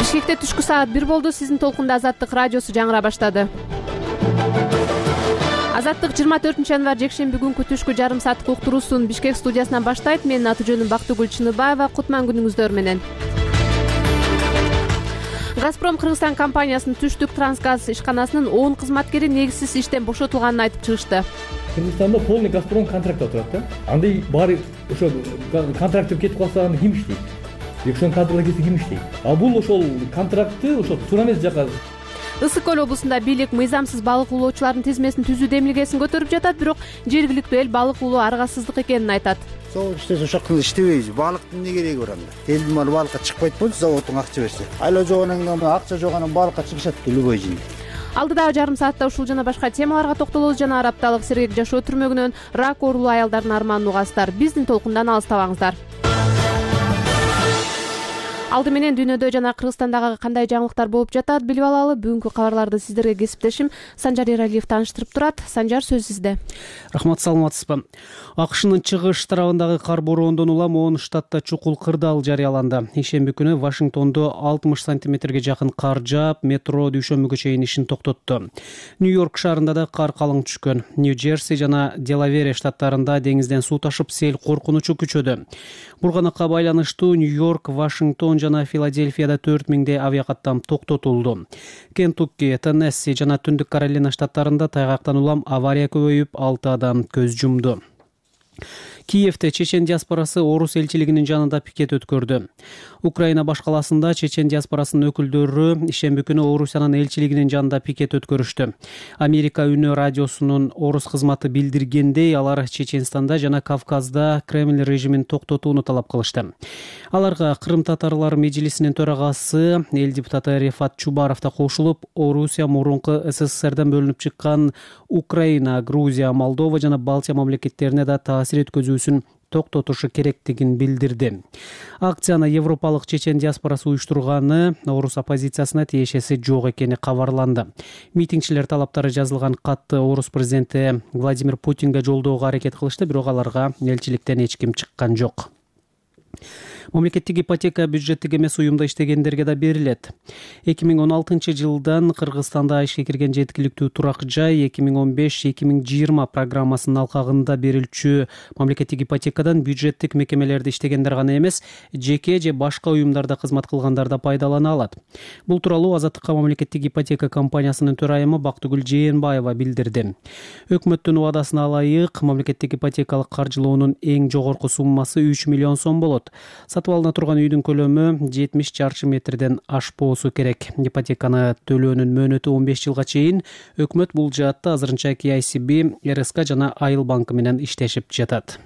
Бишкекте түшкү саат 1 болду. Сиздин толкунда Азаттык радиосу жаңыра баштады. Азаттык 24-январь жекшемби күнкү түшкү жарым сааттык уктуруусун Бишкек студиясынан баштайт. Менин аты жөнүм Бактыгүл Чыныбаева. Кутман күнүңүздөр менен. Газпром Кыргызстан компаниясынын түштүк трансгаз ишканасынын 10 кызматкери негизсиз иштен бошотулганын айтып чыгышты. Кыргызстанда полный Газпром контрактта турат да. Андай баары ошо контракттеп кетип калса аны ким иштейт? Ошол кадрлар кетсе ким иштейт? А бул ошол контрактты ошол туура эмес жака. Ысык көл облусунда бийлик мыйзамсыз балык улоочулардын тизмесин түзүү демилгесин көтөрүп жатат, бирок жергиликтүү эл балык улоо аргасыздык экенин айтат. Завод иштесе ошол иштебейбиз. Балыктын эмне кереги бар анда? Элдин малы балыкка чыкпайт болчу, заводдун акча берсе. Айла жогонан акча жогонан балыкка чыгышат любой жин. Алдыдагы жарым саатта ушул жана башка темаларга токтолобуз. Жана Арапталык сергек жашоо түрмөгүнөн рак оорулуу аялдардын арманын угасыздар. Биздин толкундан алыстабаңыздар. Алды менен дүйнөдө жана Кыргызстандагы кандай жаңылыктар болуп жатат билип алалы. Бүгүнкү кабарларды сиздерге кесиптешим Санжар Эралиев тааныштырып турат. Санжар, сөз сизде. Рахмат, саламатсызбы? АКШнын чыгыш тарабындагы кар бороондон улам 10 штатта чукул кырдаал жарыяланды. Ишемби күнү Вашингтондо 60 сантиметрге жакын кар жаап, метро дүйшөмбүгө чейин ишин токтотту. Нью-Йорк шаарында да кар калың түшкөн. Нью-Джерси жана Делавере штаттарында деңизден суу ташып, сел коркунучу күчөдү. Бурганакка байланыштуу Нью-Йорк, Вашингтон жана Филадельфияда 4000 авиакаттам токтотулду. Кентукки, Теннесси жана Түндүк Каролина штаттарында тайгактан улам авария көбөйүп, 6 адам көз жумду. Киевде чечен диаспорасы орус элчилигинин жанында пикет өткөрдү. Украина баш каласында чечен диаспорасынын өкүлдөрү ишемби күнү Орусиянын элчилигинин жанында пикет өткөрүштү. Америка үнү радиосунун орус кызматы билдиргендей, алар Чеченстанда жана Кавказда Кремль режимин токтотууну талап кылышты. Аларга Кырым татарлар межлисинин төрагасы эл депутаты Рефат Чубаров да кошулуп, Орусия мурунку СССРден бөлүнүп чыккан Украина, Грузия, Молдова жана Балтия мамлекеттерине да таасир өткөзүүсүн токтотушу керектигин билдирди. Акцияны европалык чечен диаспорасы уюштурганы орус оппозициясына тиешеси жок экени кабарланды. Митингчилер талаптары жазылган катты орус президенти Владимир Путинге жолдоого аракет кылышты, бирок аларга элчиликтен эч ким чыккан жок. Мамлекеттик ипотека бюджеттик эмес уюмда иштегендерге да берилет. 2016-жылдан Кыргызстанда ишке кирген жеткиликтүү турак жай 2015-2020 программасынын алкагында берилчү мамлекеттик ипотекадан бюджеттик мекемелерде иштегендер гана эмес, жеке же башка уюмдарда кызмат кылгандар да пайдалана алат. Бул тууралуу Азаттыкка мамлекеттик ипотека компаниясынын төрайымы Бактыгүл Жээнбаева билдирди. Өкмөттүн убадасына ылайык, мамлекеттик ипотекалык каржылоонун эң жогорку суммасы 3 миллион сом болот. Сатып алына турган үйдүн көлөмү 70 чарчы метрден ашпоосу керек. Ипотеканы төлөөнүн мөөнөтү 15 жылга чейин. Өкмөт бул жаатта азырынча KICB, РСК жана Айыл банкы менен иштешип жатат.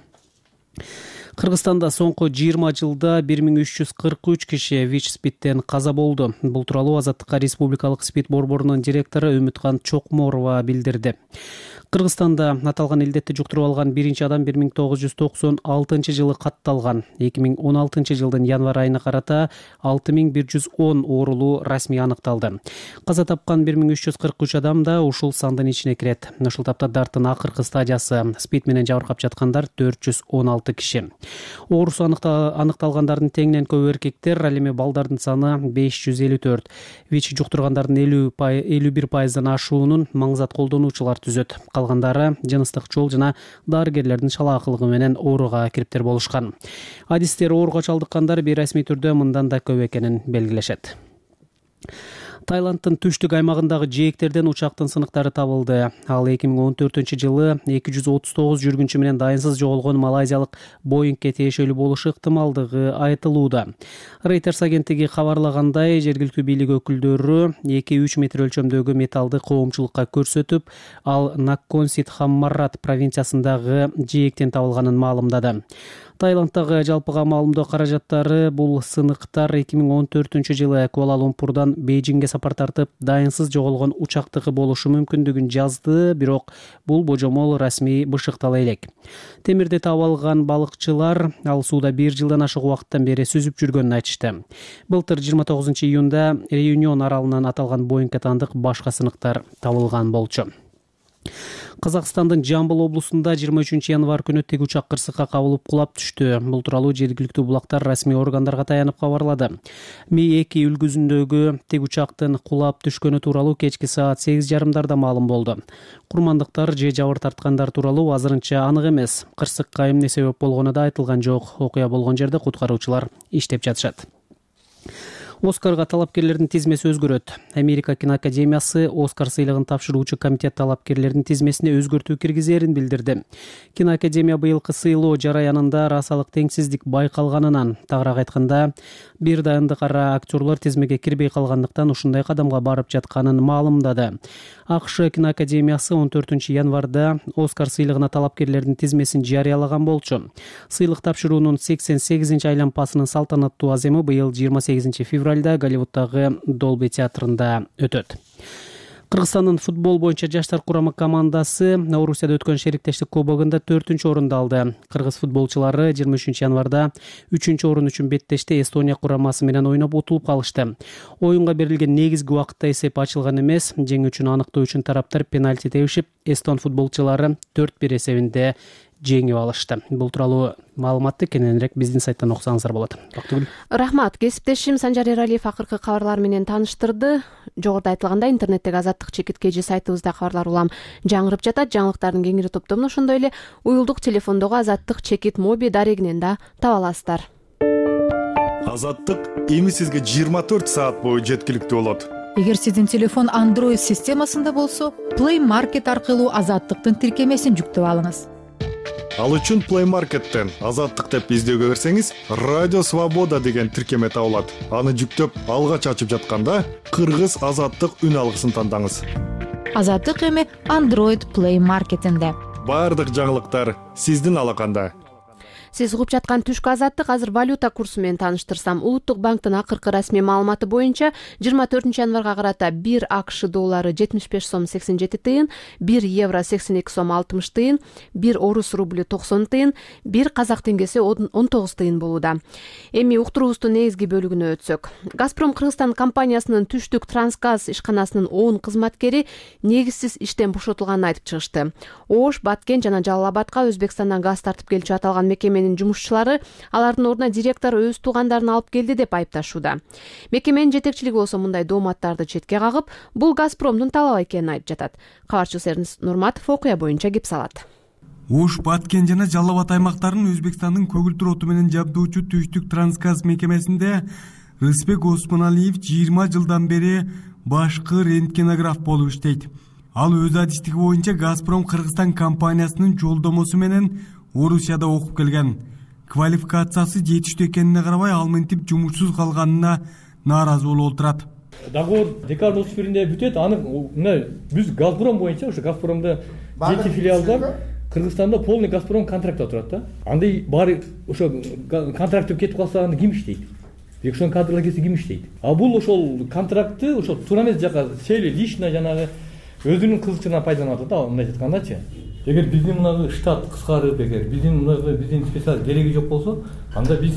Кыргызстанда соңку 20 жылда 1343 киши ВИЧ-СПИДтен каза болду. Бул тууралуу Азаттыкка Республикалык СПИД борборунун директору Үмүткан Чокморова билдирди. Кыргызстанда аталган илдетти жуктуруп алган биринчи адам 1996-жылы катталган. 2016-жылдын январь айына карата 6110 оорулуу расмий аныкталды. Каза тапкан 1343 адам да ушул сандын ичине кирет. Ушул тапта дарттын акыркы стадиясы СПИД менен жабыркап жаткандар 416 киши. Оорусу аныкталгандардын теңинен көбү эркектер, ал эми балдардын саны 554. ВИЧ жуктургандардын 51%дан ашуунун маңзат колдонуучулар түзөт. Калгандары жыныстык жол жана дарыгерлердин шалаакылыгы менен ооруга кириптер болушкан. Адистер ооруга чалдыккандар бейрасмий түрдө мындан да көп экенин белгилешет. Таиландтын түштүк аймагындагы жээктерден учактын сыныктары табылды. Ал 2014-жылы 239 жүргүнчү менен дайынсыз жоголгон малайзиялык Боингке тиешелүү болушу ыктымалдыгы айтылууда. Reuters агенттиги кабарлагандай, жергиликтүү бийлик өкүлдөрү 2-3 метр өлчөмдөгү металлды коомчулукка көрсөтүп, ал Накконсит Хаммарат провинциясындагы жээктен табылганын маалымдады. Таиландтагы жалпыга маалымдоо каражаттары бул сыныктар 2014-жылы Куала-Лумпурдан Бейжиңге сапар тартып, дайынсыз жоголгон учактыгы болушу мүмкүндүгүн жазды, бирок бул божомол расмий бышыктала элек. Темирди таап алган балыкчылар ал сууда 1 жылдан ашык убакыттан бери сүзүп жүргөнүн айтышты. Былтыр 29-июнда Реюнион аралынан аталган Боингге таандык башка сыныктар табылган болчу. Казакстандын Жамбыл облусунда 23 январь күнү тег учак кырсыкка кабылып кулап түштү. Бул тууралуу жергиликтүү булактар расмий органдарга таянып кабарлады. Ми-2 үлгүсүндөгү тег учактын кулап түшкөнү тууралуу кечки саат 8:30 маалым болду. Курмандыктар же жабыр тарткандар тууралуу азырынча анык эмес. Кырсыкка эмне себеп болгону да айтылган жок. Окуя болгон жерде куткаруучулар иштеп жатышат. Оскарга талапкерлердин тизмеси өзгөрөт. Америка киноакадемиясы Оскар сыйлыгын тапшыруучу комитет талапкерлердин тизмесине өзгөртүү киргизерин билдирди. Киноакадемия быйылкы сыйлоо жараянында расалык теңсиздик байкалганынан, тагыраак айтканда, бир дайындык ара актерлор тизмеге кирбей калгандыктан ушундай кадамга барып жатканын маалымдады. АКШ киноакадемиясы 14 январда Оскар сыйлыгына талапкерлердин тизмесин жарыялаган болчу. Сыйлык тапшыруунун 88 айланпасынын салтанаттуу аземы быйыл 28 февралда Голливуддагы Долби театрында өтөт. Кыргызстандын футбол боюнча жаштар курама командасы Орусияда өткөн шериктештик кубогунда 4-орунду алды. Кыргыз футболчулары 23 январда 3-орун үчүн беттеште Эстония курамасы менен ойноп утулуп калышты. Оюнга берилген негизги убакытта эсеп ачылган эмес. Жеңүү үчүн аныктоо үчүн тараптар пенальти тебишип, эстон футболчулары 4-1 эсебинде жеңип алышты. Бул тууралуу маалыматты кененирээк биздин сайттан окусаңыздар болот. Рахмат. Кесиптешим Санжар Эралиев акыркы кабарлар менен тааныштырды. Жогоруда айтылгандай, интернеттеги Азаттык чекит KG сайтыбызда кабарлар улам жаңырып жатат. Жаңылыктардын кеңири топтомун ошондой эле уюлдук телефондогу Азаттык чекит моби дарегинен да таба аласыздар. Азаттык эми сизге 24 саат бою жеткиликтүү болот. Эгер сиздин телефон Android системасында болсо, Play Market аркылуу Азаттыктын тиркемесин жүктөп алыңыз. Ал үчүн Play Market'тен Азаттык деп издөөгө берсеңиз, Радио Свобода деген тиркеме табылат. Аны жүктөп, алгач ачып жатканда Кыргыз Азаттык үн алгысын тандаңыз. Азаттык эми Android Play Market'инде. Бардык жаңылыктар сиздин алаканда. Сиз угуп жаткан түшкү Азаттык. Азыр валюта курсу менен тааныштырсам, Улуттук банктын акыркы расмий маалыматы боюнча 24 январга карата 1 АКШ доллары 75 сом 87 тыйын, 1 евро 82 сом 60 тыйын, 1 орус рублю 90 тыйын, 1 казак теңгеси 19 тыйын болууда. Эми уктуруубуздун негизги бөлүгүнө өтсөк. Газпром Кыргызстан компаниясынын түштүк Трансгаз ишканасынын 10 кызматкери негизсиз иштен бошотулганын айтып чыгышты. Ош, Баткен жана Жалал Абадка Өзбекстандан газ тартып келчү аталган мекеменин жумушчулары алардын ордуна директор өз туугандарын алып келди деп айыпташууда. Мекеменин жетекчилиги болсо мындай дооматтарды четке кагып, бул Газпромдун талабы экенин айтып жатат. Кабарчыбыз Эрнис Нурматов окуя боюнча кеп салат. Ош, Баткен жана Жалал Абад аймактарын Өзбекстандын көгүлтүр оту менен жабдоочу түштүк Трансгаз мекемесинде Рысбек Осмоналиев 20 жылдан бери башкы рентгенограф болуп иштейт. Ал өз адистиги боюнча Газпром Кыргызстан компаниясынын жолдомосу менен Орусияда окуп келген. Квалификациясы жетиштүү экенине карабай, ал мынтип жумушсуз калганына нааразы болуп отурат. Договор декабрь 31-нде бүтөт. Аны биз Газпром боюнча, ошо Газпромдо 7 филиал бар. Кыргызстанда полный Газпром контракт турат да. Андай баары ошо контракт кетип калса аны ким иштейт? Ошол кадрлар кетсе ким иштейт? А бул ошол контрактты ошо туура эмес жака сели лично жанагы өзүнүн кызыкчылыгынан пайдаланып атат да, мындай айткандачы. Эгер биздин мына штат кыскарып, эгер биздин специалист кереги жок болсо, анда биз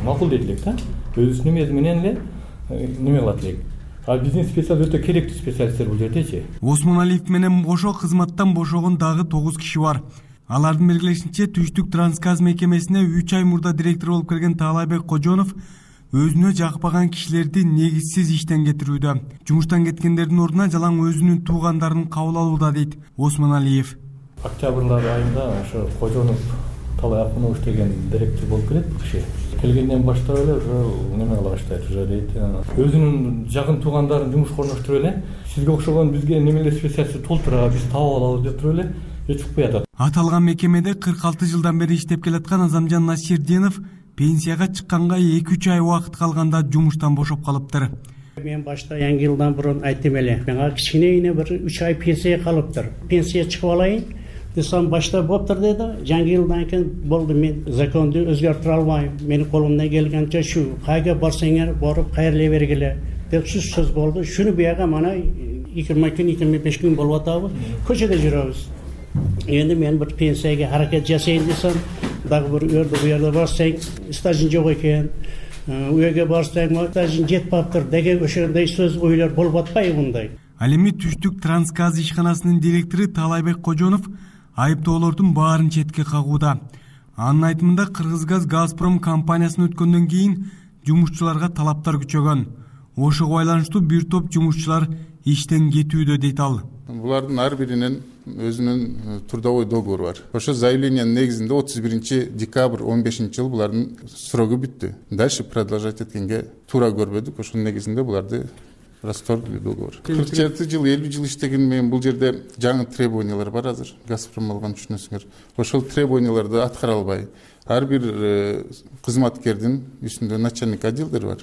макул дейт элек да. Өзүнүн эмеси менен эле неме кылат элек. А биздин специалист өтө керектүү специалисттер бул жердечи. Осмоналиев менен кошо кызматтан бошогон дагы 9 киши бар. Алардын белгилешинче, түштүк Трансгаз мекемесине 3 ай мурда директор болуп келген Таалайбек Кожонов өзүнө жакпаган кишилерди негизсиз иштен кетирүүдө. Жумуштан кеткендердин ордуна жалаң өзүнүн туугандарын кабыл алууда, дейт Осмоналиев. Октябрь айында ошо Кожонов Талай Акунович деген директор болуп келет киши. Келгенден баштап эле уже неме кыла баштайт, уже дейт. Өзүнүн жакын туугандарын жумушка орноштуруп эле, сизге окшогон бизге немелер специалист толтура, биз таап алабыз деп туруп эле чыгып куятат. Аталган мекемеде 46 жылдан бери иштеп келаткан Азамжан Насирдинов пенсияга чыкканга 2-3 ай убакыт калганда жумуштан бошоп калыптыр. Мен башта Yangi жылдан бурун айттым эле. Мага кичине бир 3 ай пенсия калыптыр. Пенсия чыгып алайын десем башта болуптур деди. Yangi жылдан кийин болду, мен законду өзгөртүрө албайм. Менин колумдан келгенче шу, кайга барсаңар барып кайрыле бергиле деп сөз болду. Шуну бияга мана 20 күн 25 күн болуп атабы. Көчөдө жүрөбүз. Эndi мен bir пенсияга харакет жасайын десем, дагы bir uyarda барсаң, стажың жок экен. Үйгө барсаң, стажың жетпаптыр деген ошондой сөз ойлор болуп атпайбы мындай. Ал эми Түштүк Трансгаз ишканасынын директору Талайбек Кожонов айыптоолордун баарын четке кагууда. Анын айтымында Кыргызгаз Газпром компаниясына өткөндөн кийин жумушчуларга талаптар күчөгөн. Ошого байланыштуу бир топ жумушчулар иштен кетүүдө дейт ал. Булардын ар биринин өзүнүн трудовой договору бар. Ошо заявлениянын негизинде 31 декабрь 15 жыл булардын срогу бүттү. Дальше продолжать эткенге туура көрбөдүк. Ошонун негизинде буларды расторгли договор. 47 жыл, 50 жыл иштеген менен бул жерде жаңы требованиялар бар азыр. Газпром алган түшүнөсүңөр. Ошол требованияларды аткара албай, ар бир кызматкердин үстүндө начальник отделдер бар.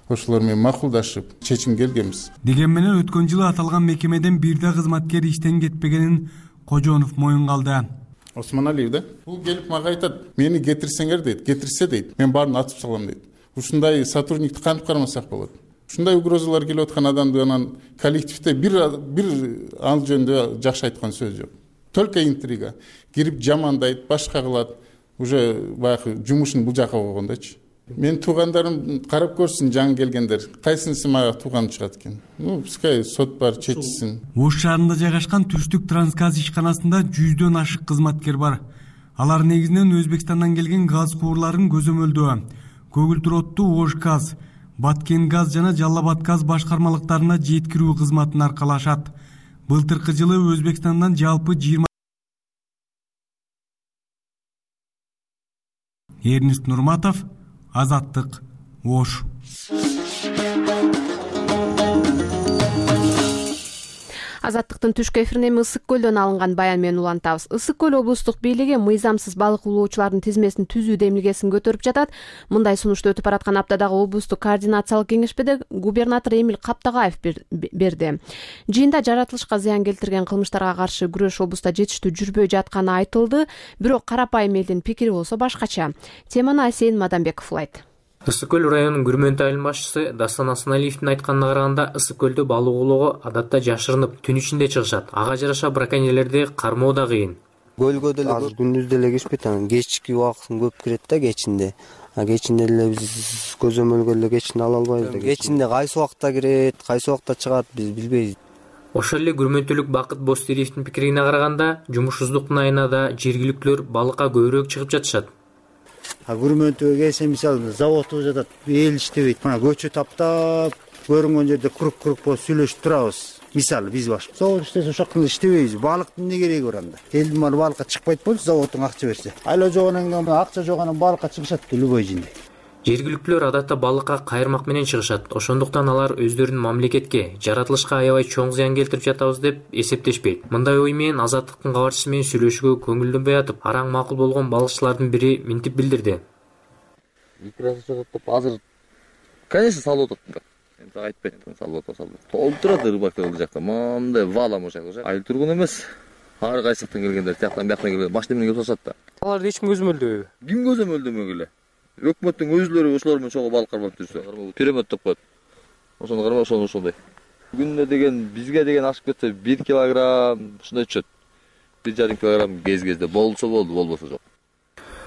Ошолор менен макулдашып, чечим келгенбиз. Деген менен өткөн жылы аталган мекемеден бир да кызматкер иштен кетпегенин Кожонов моюнга алды. Осмоналиев да? Бул келип мага айтат, мени кетирсеңер дейт, кетирсе дейт, мен баарын атып салам дейт. Ушундай сотрудникти кантип кармасак болот? Ушундай угрозалар келип аткан адамды анан коллективде бир ал жөнүндө жакшы айткан сөз жок. Только интрига. Кирип жамандайт, башка кылат. Уже баягы жумушун бул жака койгондочу. Мен туугандарым карап көрсүн жаңы келгендер. Кайсынысы мага тууган чыгат экен? Пускай сот бар, чечсин. Ош шаарында жайгашкан Түштүк Трансгаз ишканасында 100дөн ашык кызматкер бар. Алар негизинен Өзбекстандан келген газ куурларын көзөмөлдөө, көгүлтүр отту Ошгаз, Баткенгаз жана Жалал Абад газ башкармалыктарына жеткирүү кызматын аркалашат. Былтыркы жылы Өзбекстандан жалпы 20 Эрнест Нурматов, Азаттык, Ош. Азаттыктын түшкү эфиринен Ысык көлдөн алынган баян менен улантабыз. Ысык көл облустук бийлиги мыйзамсыз балык улоочулардын тизмесин түзүү демилгесин көтөрүп жатат. Мындай сунушту өтүп бараткан аптадагы облустук координациялык кеңешмеде губернатор Эмиль Каптагаев берди. Жыйында жаратылышка зыян келтирген кылмыштарга каршы күрөш облустта жетиштүү жүрбөй жатканы айтылды, бирок карапайым элдин пикири болсо башкача. Теманы Асейин Мадамбеков улайт. Ысык көл районунун Күрмөнтө айылынын башчысы Дастан Асаналиевдин айтканына караганда, Ысык көлдө балык улоого адатта жашырынып, түн ичинде чыгышат. Ага жараша браконьерлерди кармоо да кыйын. Көлгө деле азыр күндүз деле киришпейт, анан кечки убакытын көп кирет да кечинде. Кечинде деле биз көзөмөлгө эле кечинде ала албайбыз да. Кечинде кайсы убакта кирет, кайсы убакта чыгат биз билбейбиз. Ошол эле Күрмөнтөлүк Бакыт Бостириевдин пикирине караганда, жумушсуздуктун айына да жергиликтүүлөр балыкка көбүрөөк чыгып жатышат. Күрмөнтөгө келсе мисалы заводто жатат, эл иштебейт. Мына көчө таптап, көрүнгөн жерде курук болуп сүйлөшүп турабыз. Мисалы биз башка. Завод иштесе ошоктон иштебейбиз. Балыктын эмне кереги бар анда? Элдин малы балыкка чыкпайт болчу, заводдун акча берсе. Айла жогонан акча жогонан балыкка чыгышат любой жинде. Жергиликтүүлөр адатта балыкка кайырмак менен чыгышат. Ошондуктан алар өздөрүнүн мамлекетке, жаратылышка аябай чоң зыян келтирип жатабыз деп эсептешпейт. Мындай ой менен Азаттыктын кабарчысы менен сүйлөшүүгө көңүлдөнбөй атып, араң макул болгон балыкчылардын бири минтип билдирди. Икрасы чыгат деп азыр конечно салып атат. Эми айтпайт, салып атат. Толуп турат рыбактар ул жакта. Мындай валам ошол жакта. Айыл тургун эмес. Ар кайсыктан келгендер, тияктан бияктан келген машина менен келип атат да. Аларды эч ким көзөмөлдөбү? Ким көзөмөлдөмөгүлө? Өкмөттүн өзүлөрү ошолор менен чогуу балык кармап жүрсө, перемет деп коет. Ошону кармап ошондой. Күнүнө деген бизге деген ашып кетсе 1 килограмм ушундай түшөт. 1,5 килограмм кезде болсо болду, болбосо жок.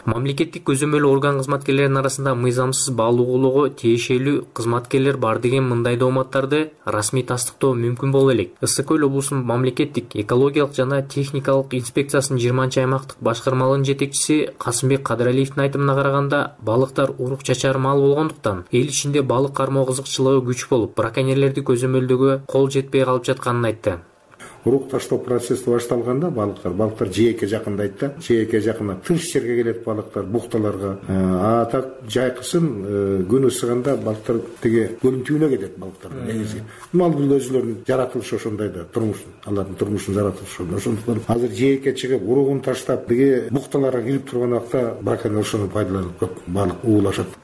Мамлекеттик көзөмөл орган кызматкерлеринин арасында мыйзамсыз балык улоого тиешелүү кызматкерлер бар деген мындай дооматтарды расмий тастыктоо мүмкүн боло элек. Ысык көл облусунун мамлекеттик экологиялык жана техникалык инспекциясынын 20-аймактык башкармалыгынын жетекчиси Касымбек Кадыралиевдин айтымына караганда, балыктар урук чачар мал болгондуктан эл ичинде балык кармоо кызыкчылыгы күч болуп, браконьерлерди көзөмөлдөөгө кол жетпей калып жатканын айтты. Урук таштоо процесси башталганда балыктар жээкке жакындайт да, жээкке жакындап тынч жерге келет балыктар, букталарга. Так жайкысын күн ысыганда балыктар тиги көлдүн түбүнө кетет балыктар негизи. Мал бул өзүлөрүнүн жаратылышы ошондой да, турмушун, алардын турмушун жаратылышы. Ошондуктан азыр жээкке чыгып, уругун таштап, тиги букталарга кирип турган убакта браконьерлер ошону пайдаланып көп балык уулашат.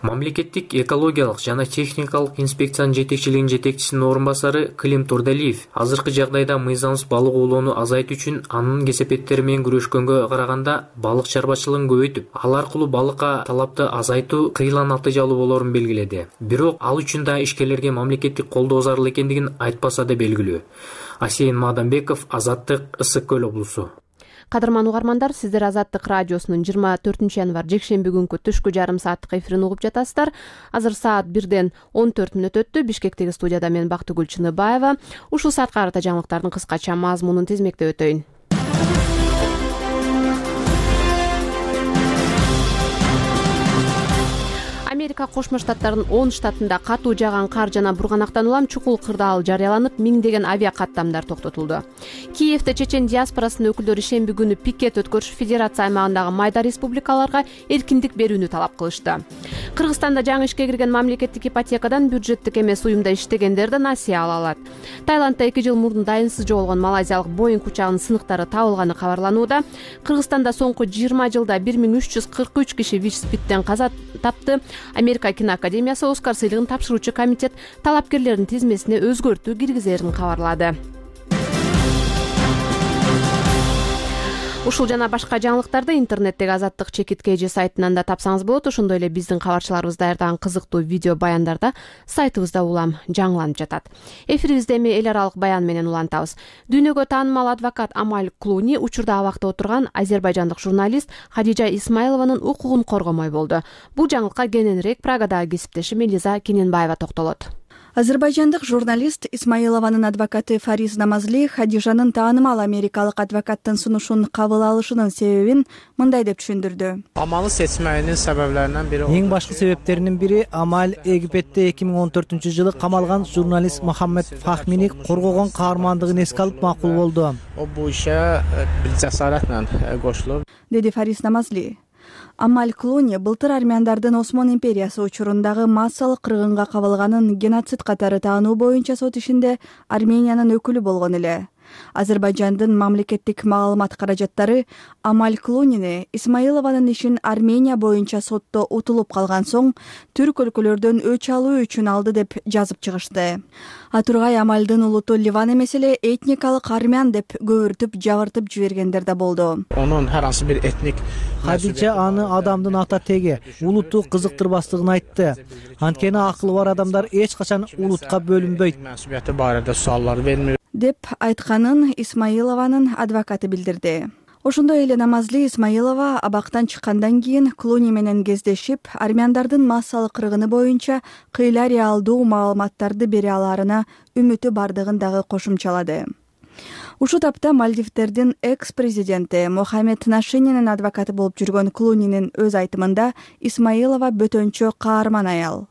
Мамлекеттик экологиялык жана техникалык инспекциянын жетекчилигинин жетекчисинин орун басары Клим Турдалиев азыркы жагдайда мыйзамсыз балык улоону азайтуу үчүн анын кесепеттери менен күрөшкөнгө караганда балык чарбачылыгын көбөйтүп, ал аркылуу балыкка талапты азайтуу кыйла натыйжалуу болорун белгиледи. Бирок ал үчүн да ишкерлерге мамлекеттик колдоо зарыл экендигин айтпаса да белгилүү. Асейин Мадамбеков, Азаттык, Ысык көл облусу. Кадырман угармандар, сиздер Азаттык радиосунун 24 январь жекшемби күнкү түшкү жарым сааттык эфирин угуп жатасыздар. Азыр саат 1-ден 14 мүнөт өттү. Бишкектеги студияда мен Бактыгүл Чыныбаева. Ушул саатка карата жаңылыктардын кыскача мазмунун тизмектеп өтөйүн. Америка Кошмо Штаттарынын 10 штатында катуу жааган кар жана бурганактан улам чукул кырдаал жарыяланып, миңдеген авиа каттамдар токтотулду. Киевде чечен диаспорасынын өкүлдөрү шемби күнү пикет өткөрүшүп, федерация аймагындагы майда республикаларга эркиндик берүүнү талап кылышты. Кыргызстанда жаңы ишке кирген мамлекеттик ипотекадан бюджеттик эмес уюмда иштегендер да насыя ала алат. Таиландда 2 жыл мурун дайынсыз жоголгон малайзиялык Боинг учагынын сыныктары табылганы кабарланууда. Кыргызстанда соңку 20 жылда 1343 киши ВИЧ-СПИДтен каза тапты. Америка киноакадемиясы Оскар сыйлыгын тапшыруучу комитет талапкерлердин тизмесине өзгөртүү киргизерин кабарлады. Ушул жана башка жаңылыктарды интернеттеги Азаттык ЧКТ сайтынан да тапсаңыз болот. Ошондой эле биздин кабарчыларыбыз даярдаган кызыктуу видео баяндарда сайтыбызда улам жаңыланып жатат. Эфирибизде эми эл аралык баян менен улантабыз. Дүйнөгө таанымал адвокат Амаль Клуни учурда абакта отурган азербайжандык журналист Хадижа Исмайлованын укугун коргомой болду. Бул жаңылыкка кененирээк Прагадагы кесиптешим Элиза Кененбаева токтолот. Азербайжандык журналист Исмайлованын адвокаты Фариз Намазли Хадижанын таанымал америкалык адвокаттын сунушун кабыл алышынын себебин мындай деп түшүндүрдү. Амалы сечмегенин себеплеринен бири. Эң башкы себептеринин бири Амаль Египетте 2014-жылы камалган журналист Мохаммед Фахмини коргогон каармандыгын эске алып макул болду. О бул ишке бир жасарат менен кошулуп, деди Фариз Намазли. Амаль Клуни былтыр армяндардын Осман империясы учурундагы массалык кыргынга кабылганын геноцид катары таануу боюнча сот ишинде Армениянын өкүлү болгон эле. Азербайжандын мамлекеттик маалымат каражаттары Амаль Клунини Исмайлованын ишин Армения боюнча сотто утулуп калган соң түрк өлкөлөрдөн өч алуу үчүн алды деп жазып чыгышты. Атургай Амальдын улуту Ливан эмес эле этникалык армян деп көбүртүп жабыртып жибергендер да болду. Онун ар бир этник Хадижа аны адамдын ата теги, улуту кызыктырбастыгын айтты. Анткени акылы бар адамдар эч качан улутка бөлүнбөйт. Мәсъулияты барында суаллар бермейт деп айтканын Исмайлованын адвокаты билдирди. Ошондой эле Намазли Исмайлова абактан чыккандан кийин Клуни менен кездешип, армяндардын массалык кыргыны боюнча кыйла реалдуу маалыматтарды бере аларына үмүтү бардыгын дагы кошумчалады. Ушул тапта Мальдивдердин экс-президенти Мохаммед Нашининин адвокаты болуп жүргөн Клунинин өз айтымында Исмайлова бөтөнчө каарман аял.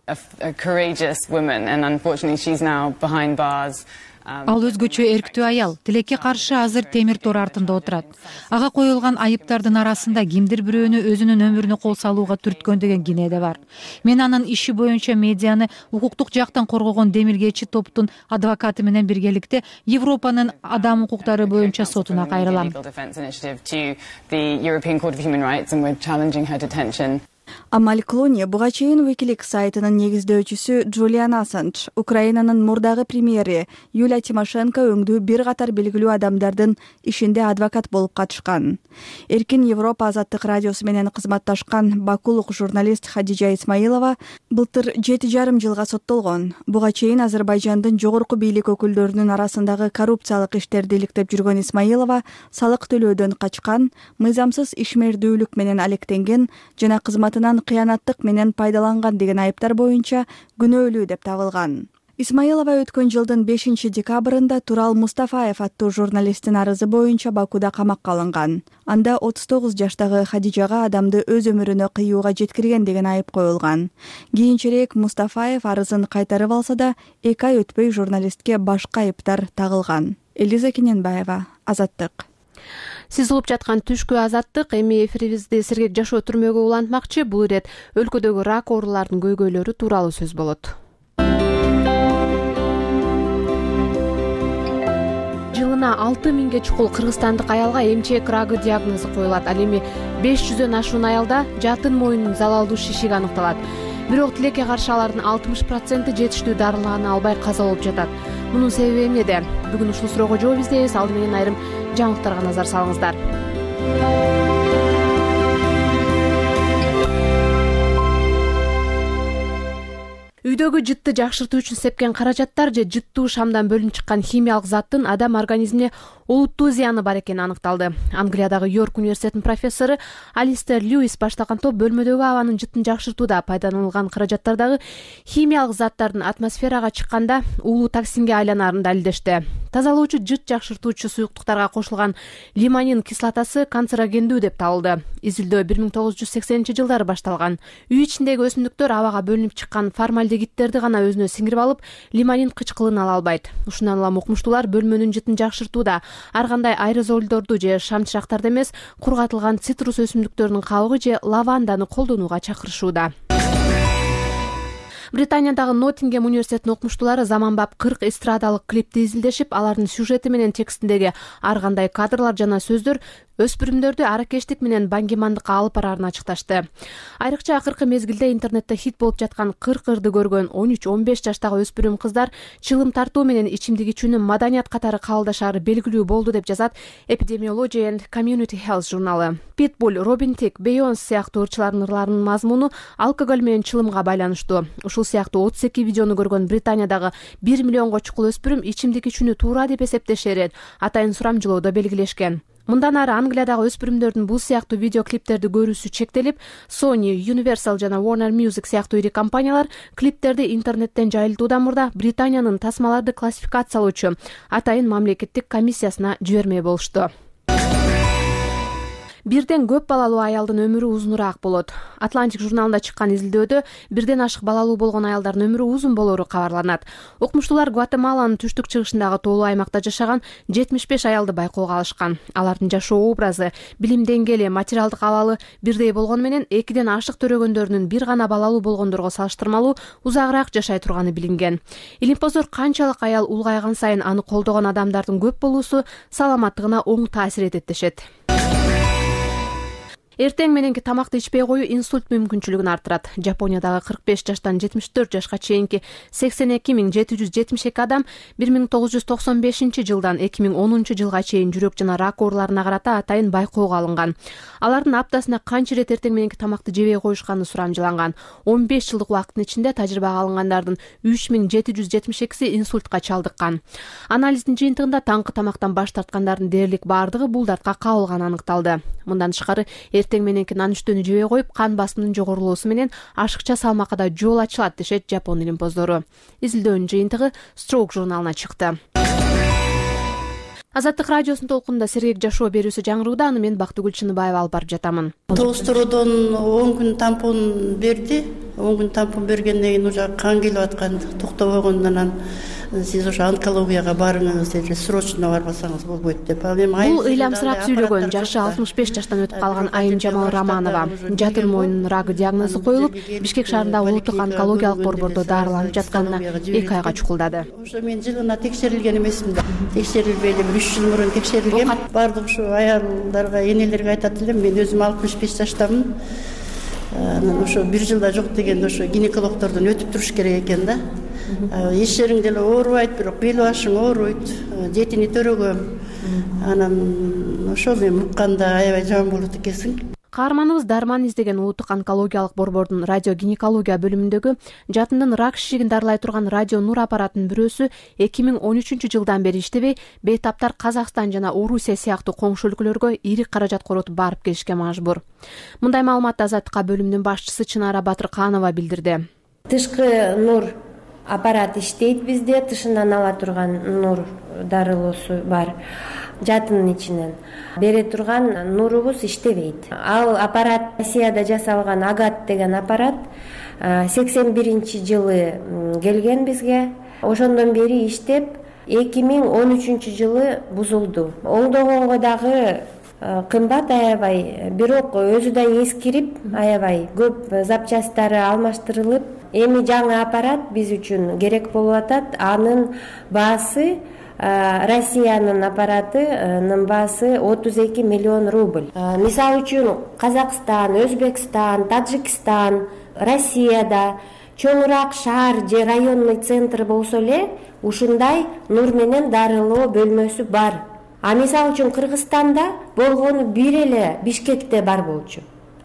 Ал өзгөчө эрктүү аял, тилекке каршы азыр темир тор артында отурат. Ага коюлган айыптардын арасында кимдир бирөөнү өзүнүн өмүрүнө кол салууга түрткөн деген кине да бар. Мен анын иши боюнча медианы укуктук жактан коргогон демилгечи топтун адвокаты менен биргеликте Европанын адам укуктары боюнча сотуна кайрылам. Амаль Клуни буга чейин Wikileaks сайтынын негиздөөчүсү Джулиан Ассанж, Украинанын мурдагы премьери Юлия Тимошенко өңдүү бир катар белгилүү адамдардын ишинде адвокат болуп катышкан. Эркин Европа Азаттык радиосу менен кызматташкан бакулук журналист Хадижа Исмайлова былтыр 7,5 жылга соттолгон. Буга чейин Азербайжандын жогорку бийлик өкүлдөрүнүн арасындагы коррупциялык иштерди иликтеп жүргөн Исмайлова салык төлөөдөн качкан, мыйзамсыз ишмердүүлүк менен алектенген жана кызматынан кыянаттык менен пайдаланган деген айыптар боюнча күнөөлүү деп табылган. Исмайлова өткөн жылдын 5 декабрында Турал Мустафаев аттуу журналисттин арызы боюнча Бакуда камакка алынган. Анда 39 жаштагы Хадижага адамды өз өмүрүнө кыюуга жеткирген деген айып коюлган. Кийинчерээк Мустафаев арызын кайтарып алса да, 2 ай өтпөй журналистке башка айыптар тагылган. Элиза Кененбаева, Азаттык. Сиз угуп жаткан түшкү Азаттык. Эми эфирибизди сергек жашоо түрмөгө улантмакчы. Бул ирет өлкөдөгү рак ооруларынын көйгөйлөрү тууралуу сөз болот. Жылына 6000 чукул кыргызстандык аялга эмчек рагы диагнозу коюлат. Ал эми 500дөн ашуун аялда жатын моюнун залалдуу шишиги аныкталат. Бирок тилекке каршы алардын 60% жетиштүү дарыланы албай каза болуп жатат. Мунун себеби эмнеде? Бүгүн ушул суроого жооп издейбиз. Алды менен айрым жаңылыктарга назар салыңыздар. үйдөгү жытты жакшыртуу үчүн сепкен каражаттар же жыттуу шамдан бөлүнүп чыккан химиялык заттын адам организмине олуттуу зыяны бар экени аныкталды. Англиядагы Йорк университетинин профессору Алистер Льюис баштаган топ бөлмөдөгү абанын жыттын жакшыртууда пайдаланылган каражаттардагы химиялык заттардын атмосферага чыкканда уулуу токсинге айланаарын далилдешти. Тазалоочу жыт жакшыртуучу суюктуктарга кошулган лимонин кислотасы канцерогендүү деп табылды. Изилдөө 1980-жылдары башталган. Үй ичиндеги өсүмдүктөр абага бөлүнүп чыккан формальдегидтерди гана өзүнө сиңирип алып, лимонин кычкылын ала албайт. Ушундан улам укмуштуулар бөлмөнүн жытын жакшыртууда ар кандай аэрозолдорду же шамчырактарды эмес, кургатылган цитрус өсүмдүктөрүнүн кабыгы же лаванданы колдонууга чакырышууда. Британиядагы Ноттингем университетинин окумуштуулары заманбап 40 эстрадалык клипти изилдешип, алардын сюжети менен текстиндеги ар кандай кадрлар жана сөздөр өспүрүмдөрдү аракештик менен баңгимандыкка алып бараарын ачыкташты. Айрыкча акыркы мезгилде интернетте хит болуп жаткан 40 ырды көргөн 13-15 жаштагы өспүрүм кыздар чылым тартуу менен ичимдик ичүүнү маданият катары кабылдашары белгилүү болду деп жазат Epidemiology and Community Health журналы. Pitbull, Robin Thicke, Beyoncé сыяктуу ырчылардын ырларынын мазмуну алкоголь менен чылымга байланыштуу. Ушул сыяктуу 32 видеону көргөн Британиядагы 1 миллионго чукул өспүрүм ичимдик ичүүнү туура деп эсептешерин атайын сурамжылоодо белгилешкен. Мындан ары Англиядагы өспүрүмдөрдүн бул сыяктуу видеоклиптерди көрүүсү чектелип, Sony, Universal жана Warner Music сыяктуу ири компаниялар клиптерди интернеттен жайылтуудан мурда Британиянын тасмаларды классификациялоочу атайын мамлекеттик комиссиясына жибермей болушту. Бирден көп балалуу аялдын өмүрү узунураак болот. Atlantic журналында чыккан изилдөөдө бирден ашык балалуу болгон аялдардын өмүрү узун болору кабарланат. Окумуштуулар Гватемаланын түштүк чыгышындагы тоолуу аймакта жашаган 75 аялды байкоого алышкан. Алардын жашоо образы, билим деңгээли, материалдык абалы бирдей болгону менен экиден ашык төрөгөндөрүнүн бир гана балалуу болгондорго салыштырмалуу узагыраак жашай турганы билинген. Илимпоздор канчалык аял улгайган сайын аны колдогон адамдардын көп болуусу саламаттыгына оң таасир этет дешет. Эртең мененки тамакты ичпей коюу инсульт мүмкүнчүлүгүн арттырат. Жапониядагы 45 жаштан 74 жашка чейинки 82772 адам 1995-жылдан 2010-жылга чейин жүрөк жана рак ооруларына карата атайын байкоого алынган. Алардын аптасына канча ирет эртең мененки тамакты жебей коюшканы сурамжыланган. 15 жылдык убакыттын ичинде тажрыйбага алынгандардын 3772си инсультка чалдыккан. Анализдин жыйынтыгында таңкы тамактан баш тарткандардын дээрлик бардыгы бул дартка кабылганы аныкталды. Мындан тышкары эртең мененки нан үстөнү жебей коюп, кан басымынын жогорулоосу менен ашыкча салмакка да жол ачылат дешет Жапон илимпоздору. Изилдөөнүн жыйынтыгы Stroke журналына чыкты. Азаттык радиосунун толкунунда сергек жашоо берүүсү жаңырууда. Аны мен Бактыгүл Чыныбаева алып барып жатамын. Толстуродон 10 күн тампон берди. 10 күн тампон бергенден кийин уже кан келип аткан, токтобогондон сиз ошо онкологияга барыңыз деди, срочно барбасаңыз болбойт деп. Бул ыйламсырап сүйлөгөн жашы 65 жаштан өтүп калган Айым Жамал Романова. Жатын мойнунун рагы диагнозу коюлуп, Бишкек шаарындагы улуттук онкологиялык борбордо дарыланып жатканына 2 айга чукулдады. Ошо мен жылына текшерилген эмесмин да. Текшерилбейли 3 жыл мурун текшерилгем. Бардык ушу аялдарга, энелерге айтат элем, мен өзүм 65 жаштамын. Анан ошо 1 жылда жок дегенде ошо гинекологдордон өтүп туруш керек экен да. Эч жериң деле оорубайт, бирок бел башың ооруйт, жетини төрөгөм. Анан ошо мен укканда аябай жаман болот экенсиң. Каарманыбыз дарман издеген улуттук онкологиялык борбордун радиогинекология бөлүмүндөгү жатындын рак шишигин дарылай турган радио нур аппаратынын бирөөсү 2013-жылдан бери иштебей, бейтаптар Казакстан жана Орусия сыяктуу коңшу өлкөлөргө ири каражат коротуп барып келишке мажбур. Мындай маалыматты Азаттыкка бөлүмүнүн башчысы Чынара Батырканова билдирди. Тышкы нур аппарат иштейт бизде, тышынан ала турган нур дарылоосу бар. Жатынын ичинен бере турган нурубуз иштебейт. Ал аппарат Россияда жасалган Агат деген аппарат 81-жылы келген бизге. Ошондон бери иштеп 2013-жылы бузулду. Оңдогонго дагы кымбат аябай, бирок өзү да эскирип аябай көп запчасттары алмаштырылып, эми жаңы аппарат биз үчүн керек болуп атат. Анын баасы Россиянын аппаратынын баасы 32 миллион рубль. Мисалы үчүн Казакстан, Өзбекстан, Таджикстан, Россияда чоңураак шаар же районный центр болсо эле ушундай нур менен дарылоо бөлмөсү бар. А мисалы үчүн Кыргызстанда болгону бир эле Бишкекте бар болчу.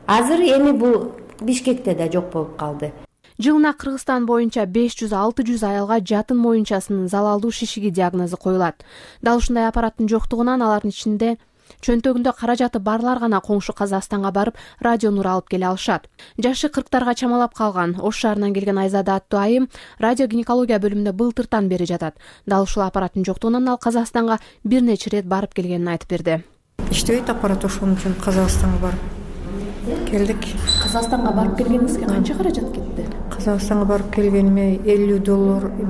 Азыр эми бул Бишкекте да жок болуп калды. Жылына Кыргызстан боюнча 500-600 аялга жатын моюнчасынын залалдуу шишиги диагнозу коюлат. Дал ушундай аппараттын жоктугунан алардын ичинде чөнтөгүндө каражаты барлар гана коңшу Казакстанга барып радио нур алып келе алышат. Жашы 40-тарга чамалап калган Ош шаарынан келген Айзада аттуу айым радиогинекология бөлүмүндө былтыртан бери жатат. Дал ушул аппараттын жоктугунан ал Казакстанга бир нече ирет барып келгенин айтып берди. Иштебейт аппарат, ошон үчүн Казакстанга барып келдик. Казакстанга барып келгениңизге канча каражат кетти? Казакстанга барып келгениме $50,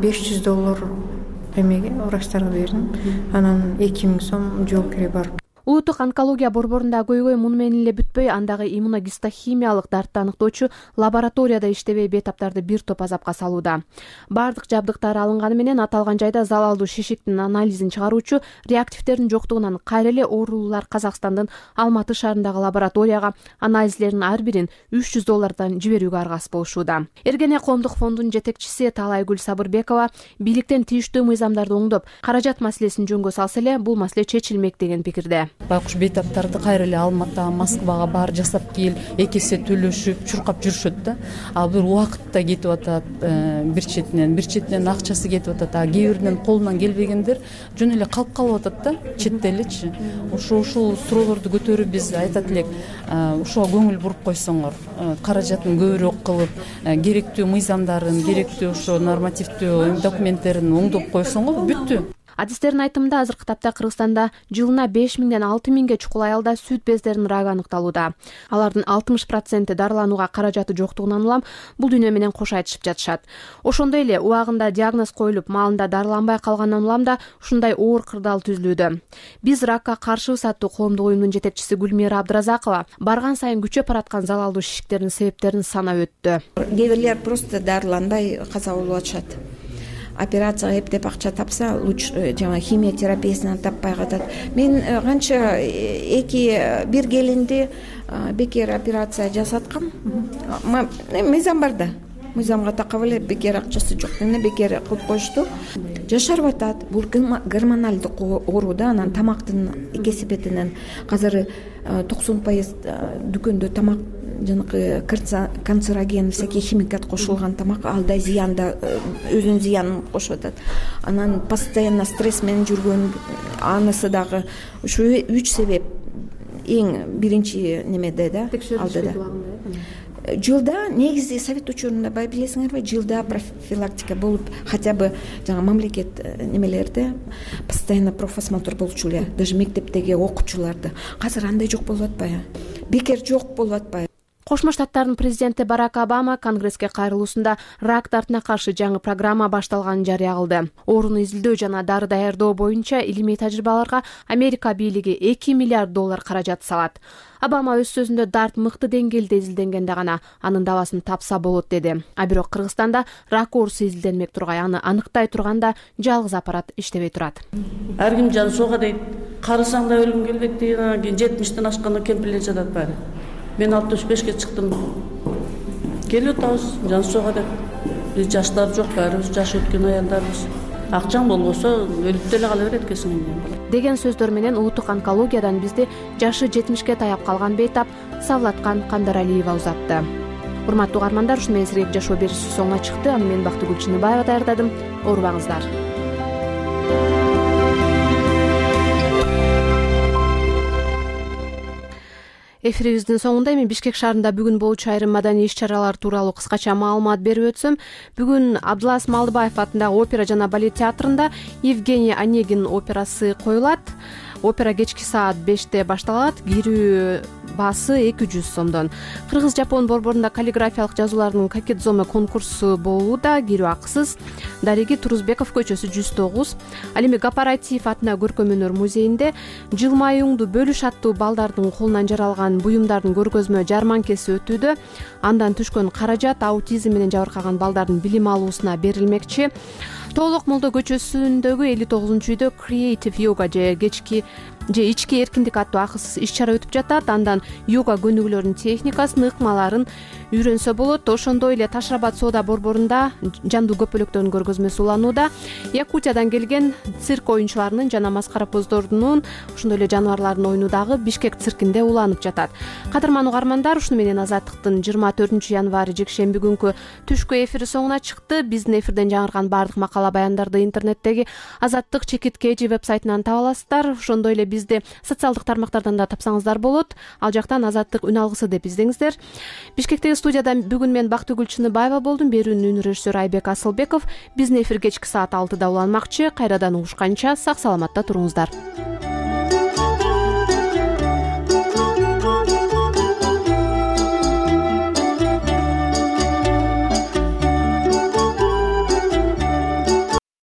$500 эмеге врачтарга бердим. Анан 2000 сом жол кире барып. Улуттук онкология борборунда көйгөй муну менен эле бүтпөй, андагы иммуногистохимиялык дартты аныктоочу лабораторияда иштебей бейтаптарды бир топ азапка салууда. Бардык жабдыктар алынганы менен аталган жайда залалдуу шишиктин анализин чыгаруучу реактивдердин жоктугунан кайра эле оорулуулар Казакстандын Алматы шаарындагы лабораторияга анализдердин ар бирин $300 жиберүүгө аргасыз болушууда. Эргене коомдук фондунун жетекчиси Талайгүл Сабырбекова бийликтен тийиштүү мыйзамдарды оңдоп, каражат маселесин жөнгө салса эле бул маселе чечилмек деген пикирде. Байкуш бейтаптарды кайра эле Алматыга, Москвага бар жасап кел, эки эсе төлөшүп, чуркап жүрүшөт да. Ал бир убакытта кетип атат, бир четинен акчасы кетип атат. А кээ биринин колунан келбегендер жөн эле калып атат да, четте элечи. Ушул суроолорду көтөрүп биз айтат элек, ушуга көңүл буруп койсоңор, каражатын көбүрөөк кылып, керектүү мыйзамдарын, керектүү ошо нормативдүү документтерин оңдоп койсоңор бүттү. Адистердин айтымында азыркы тапта Кыргызстанда жылына 5000-ден 6000ге чукул аялда сүт бездеринин рагы аныкталууда. Алардын 60% дарыланууга каражаты жоктугунан улам бул дүйнө менен кош айтышып жатышат. Ошондой эле убагында диагноз коюлуп, маалында дарыланбай калгандан улам да ушундай оор кырдаал түзүлүүдө. Биз ракка каршыбыз аттуу коомдук уюмдун жетекчиси Гүлмира Абдыразакова барган сайын күчөп бараткан залалдуу шишиктердин себептерин санап өттү. Кээ бирлер просто дарыланбай каза болуп атышат. Операцияга эптеп акча тапса, лучше жана химия терапиясынан таппай катат. Мен канча бир келинди бекер операция жасаткам. Мыйзам бар да. Мыйзамга такап эле бекер акчасы жок дене бекер кылып коюшту. Жашарып атат. Бул гормоналдык оору да, анан тамактын кесепетинен азыр 90% дүкөндө тамак жанакы канцероген, всякий химикат кошулган тамак, ал да зыянда, өзүнүн зыянын кошуп атат. Анан постоянно стресс менен жүргөн, анысы дагы ушу 3 себеп эң биринчи немеде да, алда да. Жылда негизи совет учурунда бай билесиңерби, жылда профилактика болуп, хотя бы жаңа мамлекет немелерде постоянно профосмотр болчу эле, даже мектептеги окуучуларды. Азыр андай жок болуп атпайбы? Бекер жок болуп атпайбы? Кошмо Штаттардын президенти Барак Обама Конгресске кайрылуусунда рак дартына каршы жаңы программа башталганын жарыя кылды. Ооруну изилдөө жана дары даярдоо боюнча илимий тажрыйбаларга Америка бийлиги $2 миллиард каражат салат. Обама өз сөзүндө дарт мыкты деңгээлде изилденгенде гана анын дабасын тапса болот деди. А бирок Кыргызстанда рак оорусу изилденмек тургай, аны аныктай турганда жалгыз аппарат иштебей турат. Ар ким жан суга дейт, карасаң да өлүм келбек деген, 70-тен ашканда кемпирлер жатат баары. Мен 65-ке чыктым. Келип атабыз, жан суга деп. Биз жаштар жок, баарыбыз жаш өткөн аялдарбыз. Акчаң болбосо өлүп деле кала берет экенсиң деген сөздөр менен улуттук онкологиядан бизди жашы 70-ке таяп калган бейтап Савлаткан Кандаралиева узатты. Урматтуу угармандар, ушуну менен сиреп жашоо берүүсү соңуна чыкты. Аны мен Бактыгүл Чыныбаева даярдадым. Оорубаңыздар. Эфирибиздин соңунда эми Бишкек шаарында бүгүн болчу айрым маданий иш-чаралар тууралуу кыскача маалымат берип өтсөм, бүгүн Абдылас Малдыбаев атындагы опера жана балет театрында Евгений Онегин операсы коюлат. Опера кечки саат 5-те башталат. Кирүү баасы 200 сомдон. Кыргыз-жапон борборунда каллиграфиялык жазуулардын какетзоме конкурсу болууда. Кирүү акысыз. Дариги Турузбеков көчөсү 109. Ал эми Гапаратиев атындагы көркөм өнөр музейинде жылмаюңду бөлүш аттуу балдардын колунан жаралган буюмдардын көргөзмө жарманкеси өтүүдө. Андан түшкөн каражат аутизм менен жабыркаган балдардын билим алуусуна берилмекчи. тоолок молдо көчөсүндөгү 59-үйдө Creative Yoga же ички эркиндик аттуу акысыз иш чара өтүп жатат. Андан йога көнүгүүлөрүнүн техникасын, ыкмаларын үйрөнсө болот. Ошондой эле Таш Рабад соода борборунда жандуу көпөлөктөрдүн көргөзмөсү уланууда. Якутиядан келген цирк оюнчуларынын жана маскарапоздордунун, ошондой эле жаныбарлардын оюну дагы Бишкек циркинде уланып жатат. Кадырман угармандар, ушуну менен Азаттыктын 24-январь жекшемби күнкү түшкү эфири соңуна чыкты. Биздин эфирден жаңырган баардык макала баяндарды интернеттеги Азаттык /KG вебсайтынан таба аласыздар. Ошондой эле бизди социалдык тармактардан да тапсаңыздар болот. Ал жактан Азаттык үн алгысы деп издеңиздер. Бишкектеги студияда бүгүн мен Бактыгүл Чыныбаева болдум. Берүүнүн үн режиссеру Айбек Асылбеков. Биздин эфир кечки саат 6-да уланмакчы. Кайрадан угушканча сак саламатта туруңуздар.